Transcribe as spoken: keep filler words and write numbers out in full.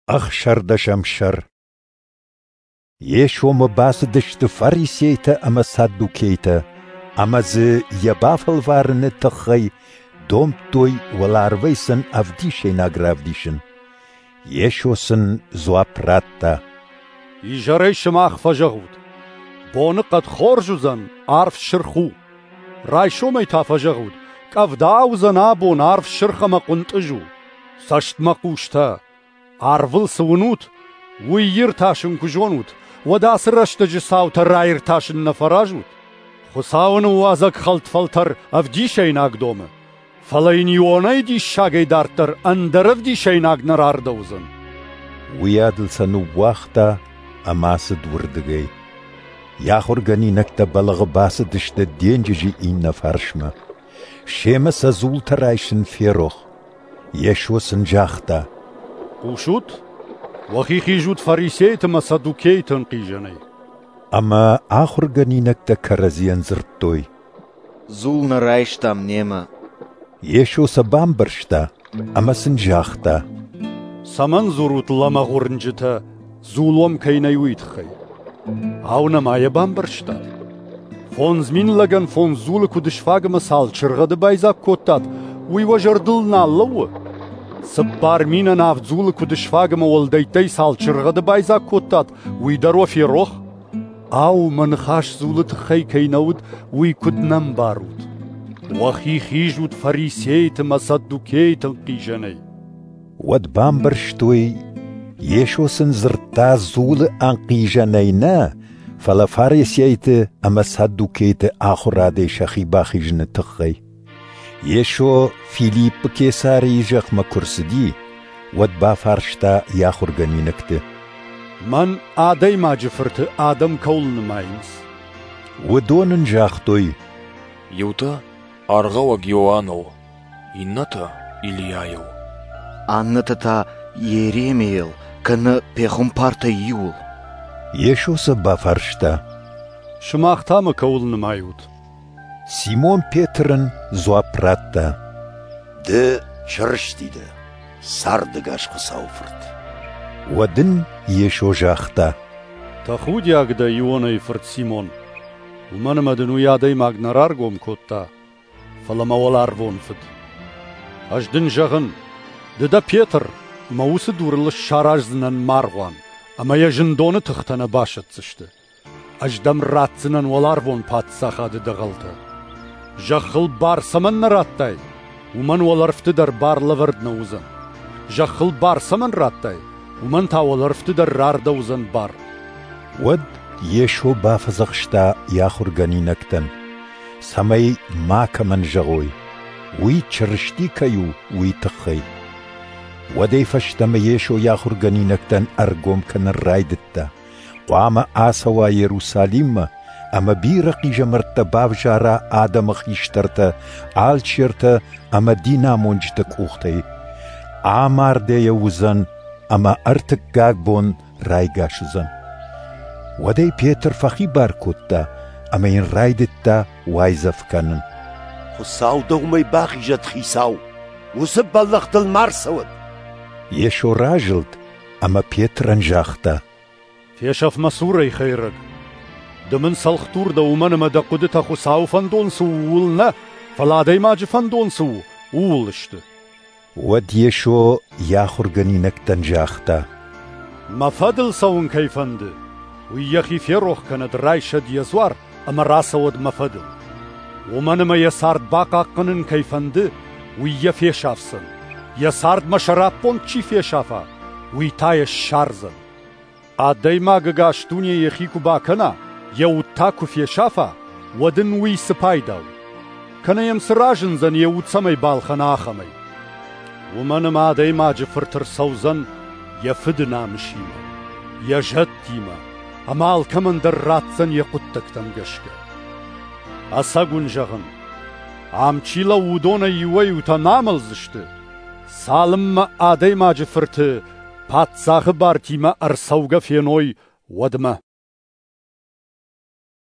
Ӕхсӕрдӕсӕм сӕр. Йесомӕ бацыдысты фарисейтӕ ӕмӕ саддукейтӕ, ӕмӕ дзы йӕ бафӕлварыны тыххӕй домдтой уӕларвӕй сын ӕвдисӕйнаг равдисын. Йесо сын дзуапп радта: Изӕрӕй сымах фӕзӕгъут: боныхъӕд хорз уыдзӕн, арв сырх у. Райсомӕй та фӕзӕгъут: къӕвда уыдзӕн абон, арв сырх ӕмӕ хъуынтъыз у. Цӕстмӕхъустӕ! Арвыл цы уынут, уый иртасын куы зонут, уӕд ацы рӕстӕджы цаутӕ раиртасын нӕ фӕразут? Хуыцауы ныууадзӕг хӕлд фӕлтӕр ӕвдисӕйнаг домы, фӕлӕ йын Ионӕйы диссагӕй дарддӕр ӕндӕр ӕвдисӕйнаг нӕ рардӕуыдзӕн. Уыйадыл сӕ ныууагъта ӕмӕ ацыд уырдыгӕй. Йӕ ахуыргӕнинӕгтӕ бӕлӕгъы бацыдысты денджызы иннӕ фарсмӕ. Семӕ сӕ дзултӕ райсын ферох. Йесо сын загъта: Хъусут, уӕхи хизут фарисейты ӕмӕ саддукейты ӕнхъизӕнӕй. Ӕмӕ ахуыргӕнинӕгтӕ кӕрӕдзийӕн дзырдтой: Дзул нӕ райстам немӕ. Йесо сӕ бамбӕрста ӕмӕ сын загъта: Цӕмӕн дзурут, лӕмӕгъ уырнджытӕ, дзул уӕм кӕй нӕй, уый тыххӕй? Ау, нӕма йӕ бамбӕрстат? Фондз мин лӕгӕн фондз дзулы куыд сфаг ӕмӕ цал чыргъӕды байдзаг кодтат, уый уӕ зӕрдыл нал лӕууы? Цыппар минӕн авд дзулы куыд сфаг ӕмӕ уӕлдӕйттӕй цал чыргъӕды байдзаг кодтат, уый дӕр уӕ ферох? Ау, мӕ ныхас дзулы тыххӕй кӕй нӕ уыд, уый куыд нӕ мбарут? Уӕхи хизут фарисейты ӕмӕ саддукейты ӕнхъизӕнӕй. Уӕд бамбӕрстой, Йесо сын дзырдта дзулы ӕнхъизӕнӕй нӕ, фӕлӕ фарисейты ӕмӕ саддукейты ахуырадӕй сӕхи бахизыны тыххӕй. Йесо Филиппы Кесарийы зӕхмӕ куы рцыди, уӕд бафарста йӕ ахуыргӕнинӕгты: Мӕн, Адӕймаджы Фырты, адӕм кӕуыл нымайынц? Уыдон ын загътой: Иутӕ Аргъауӕг Иоанныл, иннӕтӕ Илийайыл, аннӕтӕ та Йеремийыл кӕнӕ пехуымпартӕй иуыл. Йесо сӕ бафарста: Сымах та мӕ кӕуыл нымайут? Симон Петр ын дзуапп радта: Ды Чырысти дӕ, цардӕгас Хуыцауы Фырт. Уӕд ын Йесо загъта: Тӕхудиаг дӕ, Ионайы фырт Симон, уымӕн ӕмӕ дын уый адӕймаг нӕ раргом кодта, фӕлӕ мӕ уӕларвон Фыд. Ӕз дын зӕгъын, ды дӕ Петр, ӕмӕ уыцы дурыл сараздзынӕн мӕ аргъуан, ӕмӕ йӕ зындоны тыхтӕ нӕ басӕтдзысты. Ӕз дӕм ратдзынӕн уӕларвон паддзахады дӕгъӕлтӕ. Зӕххыл бар цӕмӕн нӕ радтай, уымӕн уӕлӕрвты дӕр бар лӕвӕрд нӕ уыдзӕн. Зӕххыл бар цӕмӕн радтай, уымӕн та уӕлӕрвты дӕр рардӕуыдзӕн бар. Уӕд Йесо бафӕдзӕхста йӕ ахуыргӕнинӕгтӕн, цӕмӕй макӕмӕн зӕгъой, уый Чырысти кӕй у, уый тыххӕй. Уӕдӕй фӕстӕмӕ Йесо йӕ ахуыргӕнинӕгтӕн ӕргом кӕнын райдыдта: хъуамӕ ацӕуа Иерусалиммӕ ӕмӕ бирӕ хъизӕмӕрттӕ бавзара адӕмы хистӕртӕ, алчертӕ ӕмӕ динамонджыты къухтӕй. Амардӕйӕ уыдзӕн ӕмӕ ӕртыккаг бон райгас уыдзӕн. Уӕд ӕй Петр фӕхибар кодта ӕмӕ йын райдыдта уайдзӕф кӕнын. Хуыцау дӕ уымӕй бахизӕд, Хицау, уыцы бӕллӕх дыл ма рцӕуӕд. Йесо разылд ӕмӕ Петрӕн загъта: Фесӕф мӕ цурӕй, хӕйрӕг! Ды мын цӕлхдур дӕ, уымӕн ӕмӕ дӕ хъуыдытӕ Хуыцауы фӕндон цы у, ууыл нӕ, фӕлӕ адӕймаджы фӕндон цы у, ууыл сты. Уӕд Йесо йӕ ахуыргӕнинӕгтӕн загъта: Мӕ фӕдыл цӕуын кӕй фӕнды, уый йӕхи ферох кӕнӕд, райсӕд йӕ дзуар ӕмӕ рацӕуӕд мӕ фӕдыл. Уымӕн ӕмӕ йӕ цард бахъахъхъӕнын кӕй фӕнды, уый йӕ фесафдзӕн. Йӕ цард мӕ сӕраппонд чи фесафа, уый та йӕ ссардзӕн. Адӕймаг ӕгас дуне йӕхи куы бакӕна, йӕ уд та куы фесафа, уӕд ын уый цы пайда у? Кӕнӕ йӕм цы разындзӕн, йӕ уд цӕмӕй балхӕна, ахӕмӕй? Уымӕн ӕмӕ Адӕймаджы Фырт ӕрцӕудзӕн йӕ Фыды намысимӕ, йӕ зӕдтимӕ, ӕмӕ алкӕмӕн дӕр ратдзӕн йӕ хъуыддӕгтӕм гӕсгӕ. Ӕцӕг уын зӕгъын, ам чи лӕууы, уыдонӕй иуӕй-иутӕ нӕ амӕлдзысты, цалынмӕ Адӕймаджы Фырты паддзахы бартимӕ ӕрцӕугӕ феной, уӕдмӕ.